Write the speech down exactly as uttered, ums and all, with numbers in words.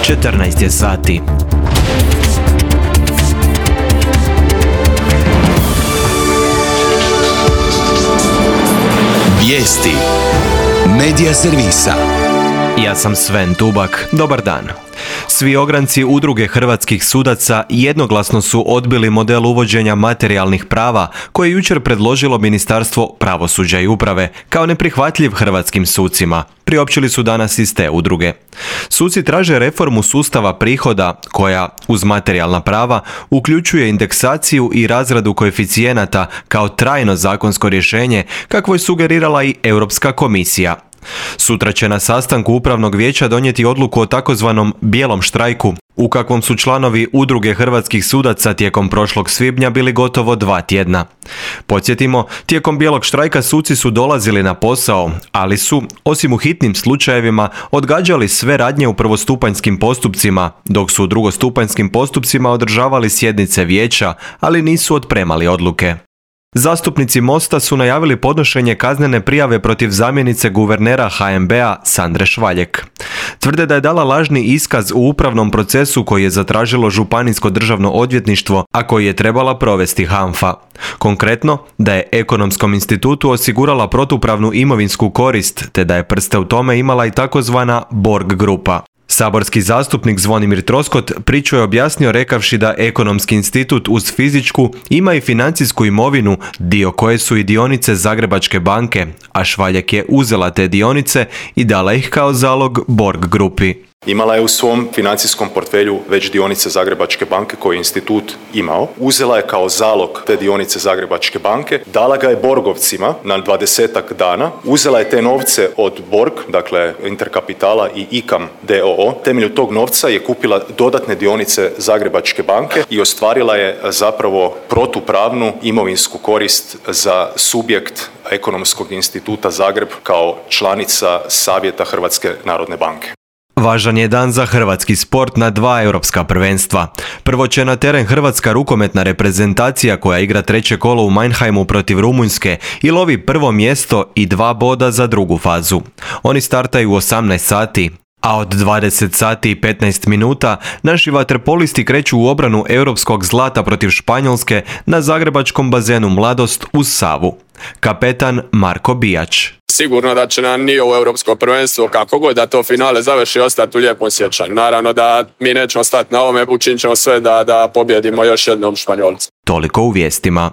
četrnaest je sati. Vijesti Medija servisa. Ja sam Sven Tubak. Dobar dan. Svi ogranci Udruge hrvatskih sudaca jednoglasno su odbili model uvođenja materijalnih prava koje je jučer predložilo Ministarstvo pravosuđa i uprave kao neprihvatljiv hrvatskim sucima. Priopćili su danas iz te udruge. Suci traže reformu sustava prihoda koja, uz materijalna prava, uključuje indeksaciju i razradu koeficijenata kao trajno zakonsko rješenje, kakvo je sugerirala i Europska komisija. Sutra će na sastanku Upravnog vijeća donijeti odluku o takozvanom bijelom štrajku, u kakvom su članovi Udruge hrvatskih sudaca tijekom prošlog svibnja bili gotovo dva tjedna. Podsjetimo, tijekom bijelog štrajka suci su dolazili na posao, ali su, osim u hitnim slučajevima, odgađali sve radnje u prvostupanjskim postupcima, dok su u drugostupanjskim postupcima održavali sjednice vijeća, ali nisu otpremali odluke. Zastupnici Mosta su najavili podnošenje kaznene prijave protiv zamjenice guvernera H N B-a Sandre Švaljek. Tvrde da je dala lažni iskaz u upravnom procesu koji je zatražilo Županijsko državno odvjetništvo, a koji je trebala provesti HANFA. Konkretno, da je Ekonomskom institutu osigurala protupravnu imovinsku korist, te da je prste u tome imala i takozvana Borg grupa. Saborski zastupnik Zvonimir Troskot priču je objasnio rekavši da Ekonomski institut uz fizičku ima i financijsku imovinu, dio koje su i dionice Zagrebačke banke, a Švaljek je uzela te dionice i dala ih kao zalog Borg grupi. Imala je u svom financijskom portfelju već dionice Zagrebačke banke koje je institut imao. Uzela je kao zalog te dionice Zagrebačke banke, dala ga je Borgovcima na dvadesetak dana, uzela je te novce od Borg, dakle Interkapitala i I K A M d o o. Temelju tog novca je kupila dodatne dionice Zagrebačke banke i ostvarila je zapravo protupravnu imovinsku korist za subjekt Ekonomskog instituta Zagreb kao članica Savjeta Hrvatske narodne banke. Važan je dan za hrvatski sport na dva europska prvenstva. Prvo će na teren hrvatska rukometna reprezentacija koja igra treće kolo u Mannheimu protiv Rumunjske i lovi prvo mjesto i dva boda za drugu fazu. Oni startaju u osamnaest sati. A od dvadeset sati i petnaest minuta naši vaterpolisti kreću u obranu europskog zlata protiv Španjolske na zagrebačkom bazenu Mladost uz Savu. Kapetan Marko Bijač. Sigurno da će nam nije u europsko prvenstvo, kako god da to finale završi, ostati u lijepom sjećanju. Naravno da mi nećemo stati na ovome, učinit ćemo sve da, da pobjedimo još jednom Španjolce. Toliko u vijestima.